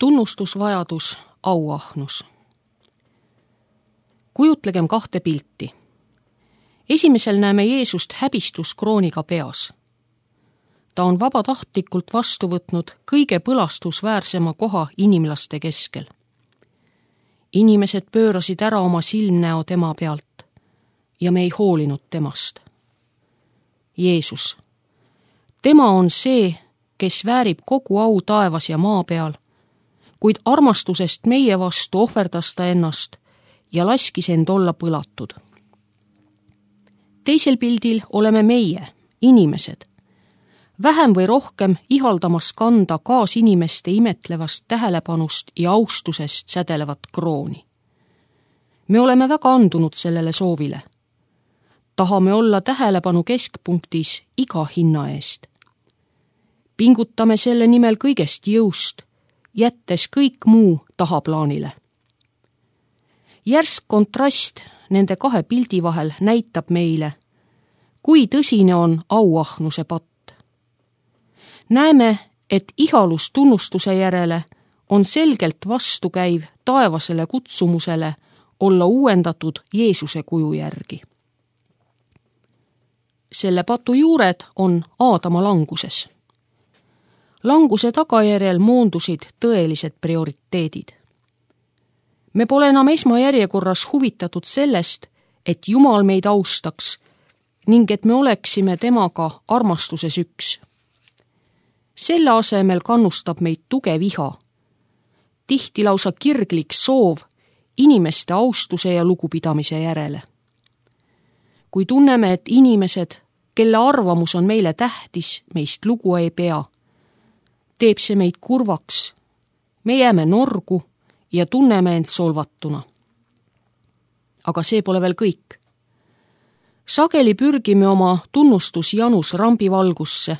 Tunnustusvajadus, auahnus. Kujutlegem kahte pilti. Esimesel näeme Jeesust häbistuskrooniga peas. Ta on vabatahtlikult vastu võtnud kõige põlastusväärsema koha inimlaste keskel. Inimesed pöörasid ära oma silmnäo tema pealt ja me ei hoolinud temast. Jeesus. Tema on see, kes väärib kogu au taevas ja maa peal, kuid armastusest meie vastu ohverdas ta ennast ja laskis end olla põlatud. Teisel pildil oleme meie, inimesed, vähem või rohkem ihaldamas kanda kaasinimeste imetlevast tähelepanust ja austusest sädelevat krooni. Me oleme väga andunud sellele soovile. Tahame olla tähelepanu keskpunktis iga hinna eest. Pingutame selle nimel kõigest jõust, jättes kõik muu tahaplaanile. Järsk kontrast nende kahe pildi vahel näitab meile, kui tõsine on auahnuse patt. Näeme, et ihalus tunnustuse järele on selgelt vastukäiv taevasele kutsumusele olla uuendatud Jeesuse kuju järgi. Selle patu juured on Aadama languses. Languse tagajärjel moondusid tõelised prioriteedid. Me pole enam esmajärjekorras huvitatud sellest, et Jumal meid austaks ning et me oleksime temaga armastuses üks. Selle asemel kannustab meid tugev iha, tihti lausa kirglik soov inimeste austuse ja lugupidamise järele. Kui tunneme, et inimesed, kelle arvamus on meile tähtis, meist lugu ei pea, teeb see meid kurvaks, me jääme norgu ja tunneme end solvatuna. Aga see pole veel kõik. Sageli pürgime oma tunnustusjanus rambivalgusse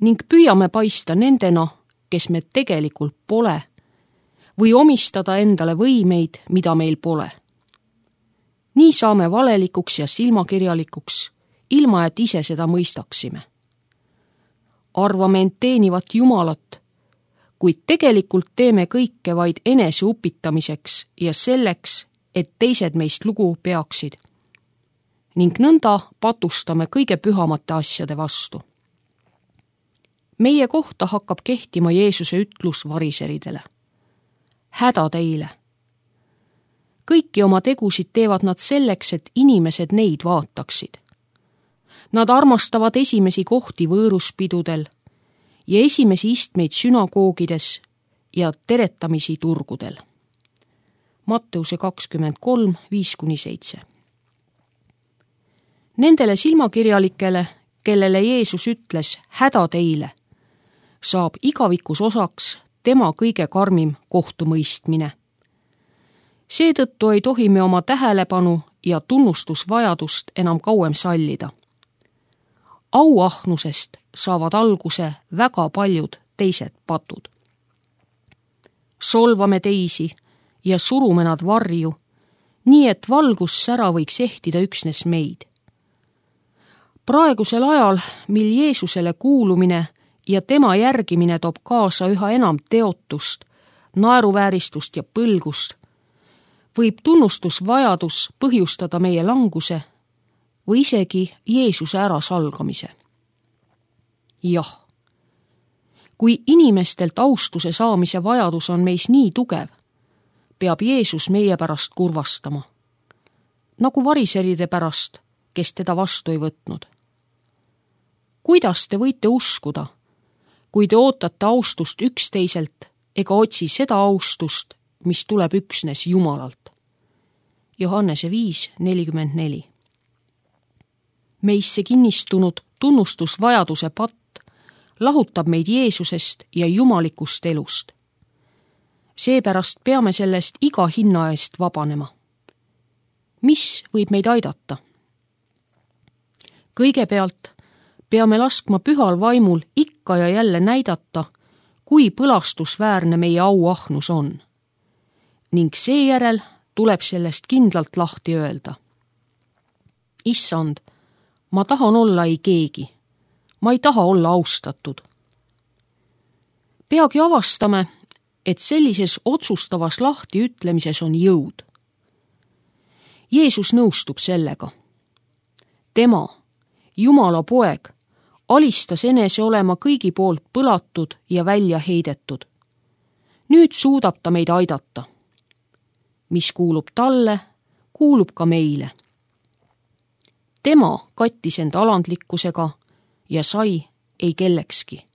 ning püüame paista nendena, kes me tegelikult pole, või omistada endale võimeid, mida meil pole. Nii saame valelikuks ja silmakirjalikuks, ilma et ise seda mõistaksime. Arvame end teenivat Jumalat, kuid tegelikult teeme kõike vaid enese upitamiseks ja selleks, et teised meist lugu peaksid. Ning nõnda patustame kõige pühamate asjade vastu. Meie kohta hakkab kehtima Jeesuse ütlus variseridele. Häda teile. Kõiki oma tegusid teevad nad selleks, et inimesed neid vaataksid. Nad armastavad esimesi kohti võõruspidudel ja esimesi istmeid sünagoogides ja teretamisi turgudel. Matteuse 23, 5-7. Nendele silmakirjalikele, kellele Jeesus ütles häda teile, saab igavikus osaks tema kõige karmim kohtumõistmine. Seetõttu ei tohi me oma tähelepanu ja tunnustusvajadust enam kauem sallida. Auahnusest saavad alguse väga paljud teised patud. Solvame teisi ja surume nad varju, nii et valgussära võiks ehtida üksnes meid. Praegusel ajal, mil Jeesusele kuulumine ja tema järgimine toob kaasa üha enam teotust, naeruvääristust ja põlgust, võib tunnustusvajadus põhjustada meie languse või isegi Jeesuse ärasalgamise. Jah, kui inimestelt austuse saamise vajadus on meis nii tugev, peab Jeesus meie pärast kurvastama, nagu variseride pärast, kes teda vastu ei võtnud. Kuidas te võite uskuda, kui te ootate austust üksteiselt ega otsi seda austust, mis tuleb üksnes Jumalalt? Johannese 5:44. Meisse kinnistunud tunnustusvajaduse patt lahutab meid Jeesusest ja jumalikust elust. Seepärast peame sellest iga hinna eest vabanema. Mis võib meid aidata? Kõigepealt peame laskma pühal vaimul ikka ja jälle näidata, kui põlastusväärne meie auahnus on. Ning seejärel tuleb sellest kindlalt lahti öelda. Issand, ma tahan olla ei keegi. Ma ei taha olla austatud. Peagi avastame, et sellises otsustavas lahtiütlemises on jõud. Jeesus nõustub sellega. Tema, Jumala poeg, alistas enese olema kõigi poolt põlatud ja välja heidetud. Nüüd suudab ta meid aidata. Mis kuulub talle, kuulub ka meile. Tema kattis end alandlikkusega ja sai ei kellekski.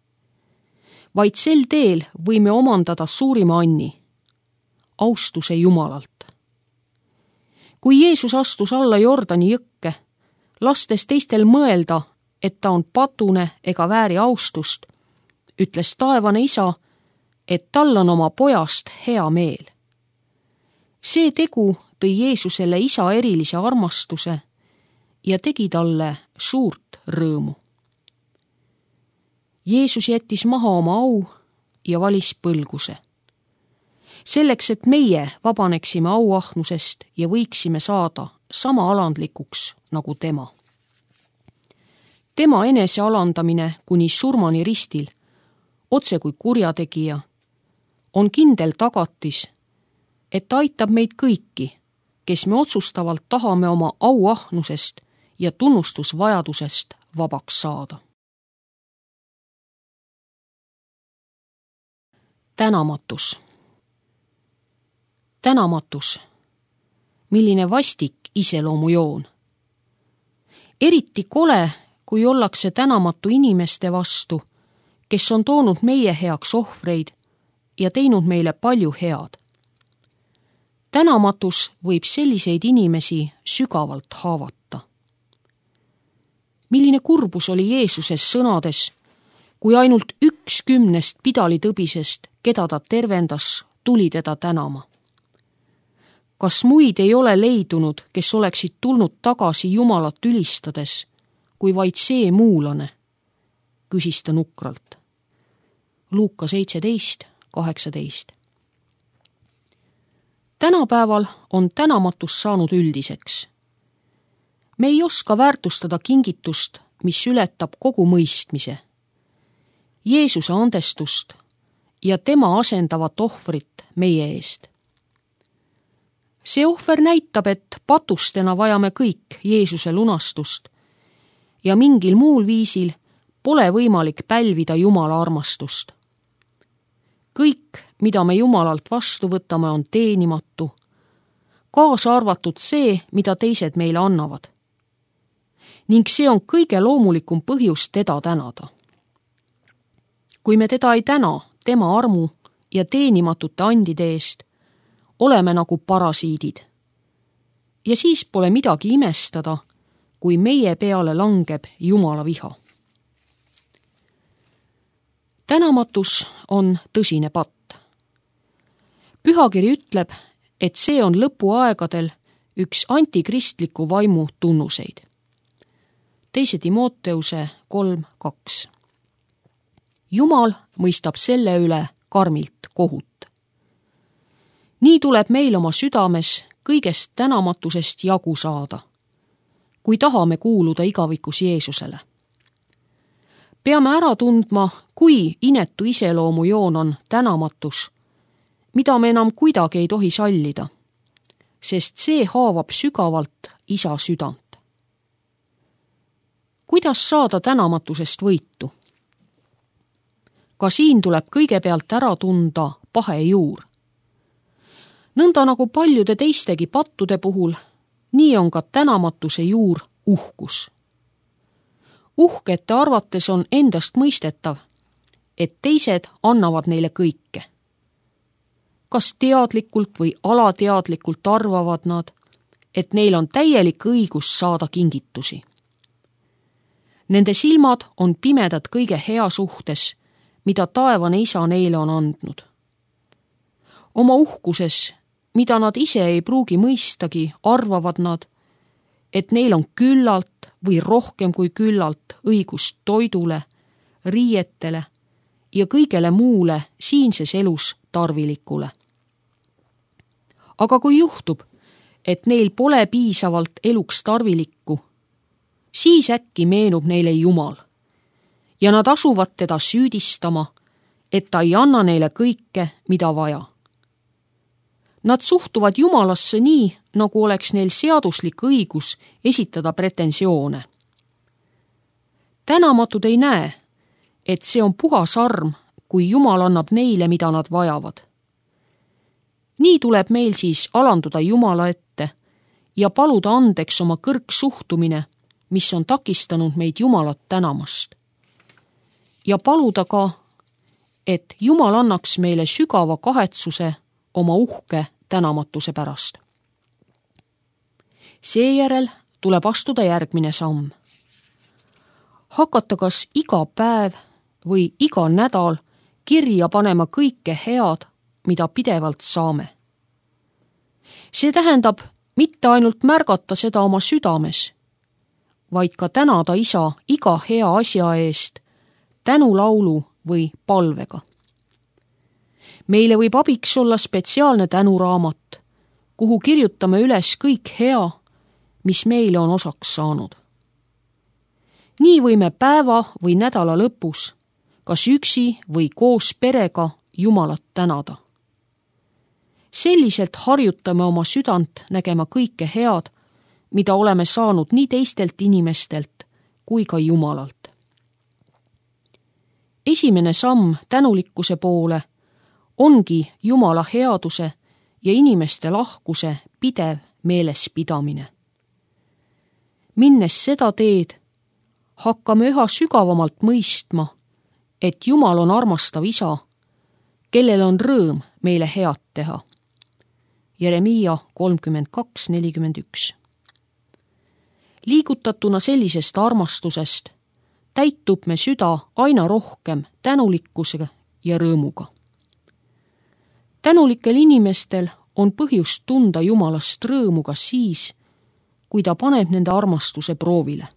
Vaid sel teel võime omandada suurima anni, austuse Jumalalt. Kui Jeesus astus alla Jordani jõkke, lastes teistel mõelda, et ta on patune ega vääri austust, ütles taevane isa, et tal on oma pojast hea meel. See tegu tõi Jeesusele isa erilise armastuse ja tegi talle suurt rõõmu. Jeesus jättis maha oma au ja valis põlguse. Selleks, et meie vabaneksime auahnusest ja võiksime saada sama alandlikuks nagu tema. Tema enese alandamine kuni surmani ristil, otse kui kurjategija, on kindel tagatis, et ta aitab meid kõiki, kes me otsustavalt tahame oma auahnusest ja tunnustusvajadusest vabaks saada. Tänamatus. Tänamatus, milline vastik iseloomujoon. Eriti kole, kui ollakse tänamatu inimeste vastu, kes on toonud meie heaks ohvreid ja teinud meile palju head. Tänamatus võib selliseid inimesi sügavalt haavata. Milline kurbus oli Jeesuses sõnades, kui ainult 1/10 pidalitõbisest, keda ta tervendas, tuli teda tänama. Kas muid ei ole leidunud, kes oleksid tulnud tagasi Jumalat ülistades, kui vaid see muulane? Küsis ta nukralt. Luuka 17:18. Tänapäeval on tänamatus saanud üldiseks. Me ei oska väärtustada kingitust, mis ületab kogu mõistmise. Jeesuse andestust ja tema asendavat ohvrit meie eest. See ohver näitab, et patustena vajame kõik Jeesuse lunastust ja mingil muul viisil pole võimalik pälvida Jumala armastust. Kõik, mida me Jumalalt vastu võtame, on teenimatu, kaasa arvatud see, mida teised meile annavad. Ning see on kõige loomulikum põhjus teda tänada. Kui me teda ei täna tema armu ja teenimatute andide eest, oleme nagu parasiidid. Ja siis pole midagi imestada, kui meie peale langeb Jumala viha. Tänamatus on tõsine patt. Pühakiri ütleb, et see on lõpuaegadel üks antikristliku vaimu tunnuseid. 2. Timoteuse 3:2. Jumal mõistab selle üle karmilt kohut. Nii tuleb meil oma südames kõigest tänamatusest jagu saada, kui tahame kuuluda igavikus Jeesusele. Peame ära tundma, kui inetu iseloomujoon on tänamatus, mida me enam kuidagi ei tohi sallida, sest see haavab sügavalt isa südant. Kuidas saada tänamatusest võitu? Ka siin tuleb kõigepealt ära tunda pahe juur. Nõnda nagu paljude teistegi pattude puhul, nii on ka tänamatuse juur uhkus. Uhkete arvates on endast mõistetav, et teised annavad neile kõike. Kas teadlikult või alateadlikult arvavad nad, et neil on täielik õigus saada kingitusi. Nende silmad on pimedad kõige hea suhtes, mida taevane isa neile on andnud. Oma uhkuses, mida nad ise ei pruugi mõistagi, arvavad nad, et neil on küllalt või rohkem kui küllalt õigust toidule, riietele ja kõigele muule siinses elus tarvilikule. Aga kui juhtub, et neil pole piisavalt eluks tarvilikku, siis äkki meenub neile Jumal ja nad asuvad teda süüdistama, et ta ei anna neile kõike, mida vaja. Nad suhtuvad Jumalasse nii, nagu oleks neil seaduslik õigus esitada pretensioone. Tänamatud ei näe, et see on puhas arm, kui Jumal annab neile, mida nad vajavad. Nii tuleb meil siis alanduda Jumala ette ja paluda andeks oma kõrgsuhtumine, mis on takistanud meid Jumalat tänamast. Ja paluda ka, et Jumal annaks meile sügava kahetsuse oma uhke tänamatuse pärast. Seejärel tuleb astuda järgmine samm. Hakata kas iga päev või iga nädal kirja panema kõike head, mida pidevalt saame. See tähendab mitte ainult märgata seda oma südames, vaid ka tänada Isa iga hea asja eest tänulaulu või palvega. Meile võib abiks olla spetsiaalne tänuraamat, kuhu kirjutame üles kõik hea, mis meile on osaks saanud. Nii võime päeva või nädala lõpus, kas üksi või koos perega Jumalat tänada. Selliselt harjutame oma südant nägema kõike head, mida oleme saanud nii teistelt inimestelt kui ka Jumalalt. Esimene samm tänulikkuse poole ongi Jumala headuse ja inimeste lahkuse pidev meelespidamine. Minnes seda teed, hakkame üha sügavamalt mõistma, et Jumal on armastav Isa, kellel on rõõm meile head teha. Jeremiia 32:41. Liigutatuna sellisest armastusest täitub me süda aina rohkem tänulikkuse ja rõõmuga. Tänulikel inimestel on põhjust tunda Jumalast rõõmu ka siis, kui ta paneb nende armastuse proovile.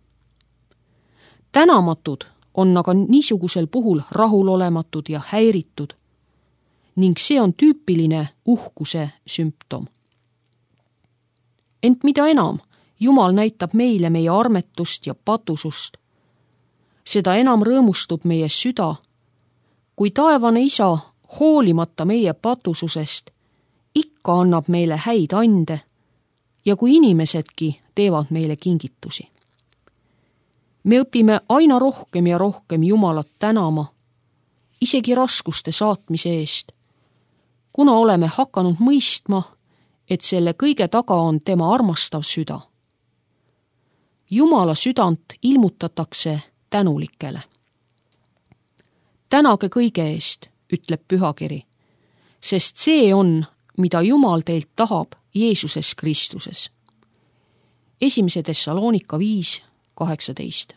Tänamatud on aga niisugusel puhul rahulolematud ja häiritud ning see on tüüpiline uhkuse sümptom. Ent mida enam Jumal näitab meile meie armetust ja patusust, seda enam rõõmustub meie süda, kui taevane Isa hoolimata meie patususest ikka annab meile häid ande ja kui inimesedki teevad meile kingitusi. Me õpime aina rohkem ja rohkem Jumalat tänama, isegi raskuste saatmise eest, kuna oleme hakanud mõistma, et selle kõige taga on tema armastav süda. Jumala südant ilmutatakse tänulikele. Tänage kõige eest, ütleb Pühakiri, sest see on, mida Jumal teilt tahab Jeesuses Kristuses. 1. Tessaloonika 5:18.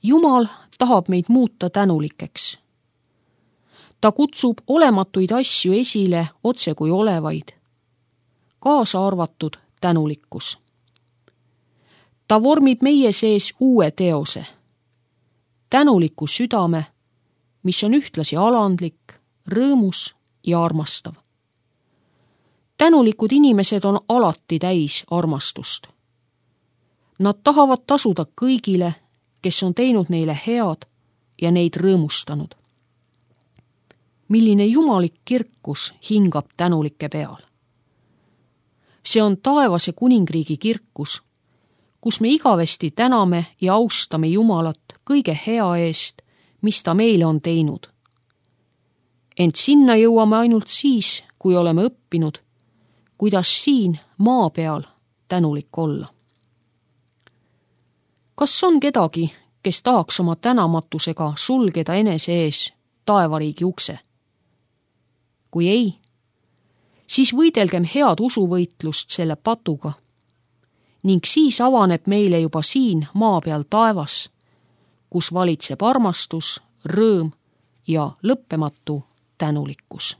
Jumal tahab meid muuta tänulikeks. Ta kutsub olematuid asju esile otse kui olevaid, kaasa arvatud tänulikkus. Ta vormib meie sees uue teose, tänuliku südame, mis on ühtlasi alandlik, rõõmus ja armastav. Tänulikud inimesed on alati täis armastust. Nad tahavad tasuda kõigile, kes on teinud neile head ja neid rõõmustanud. Milline jumalik kirkus hingab tänulike peal. See on taevase kuningriigi kirkus, kus me igavesti täname ja austame Jumalat kõige hea eest, mis ta meile on teinud. Ent sinna jõuame ainult siis, kui oleme õppinud, kuidas siin maa peal tänulik olla. Kas on kedagi, kes tahaks oma tänamatusega sulgeda enese ees taevariigi ukse? Kui ei, siis võidelgem head usuvõitlust selle patuga ning siis avaneb meile juba siin maa peal taevas, kus valitseb armastus, rõõm ja lõppematu tänulikkus.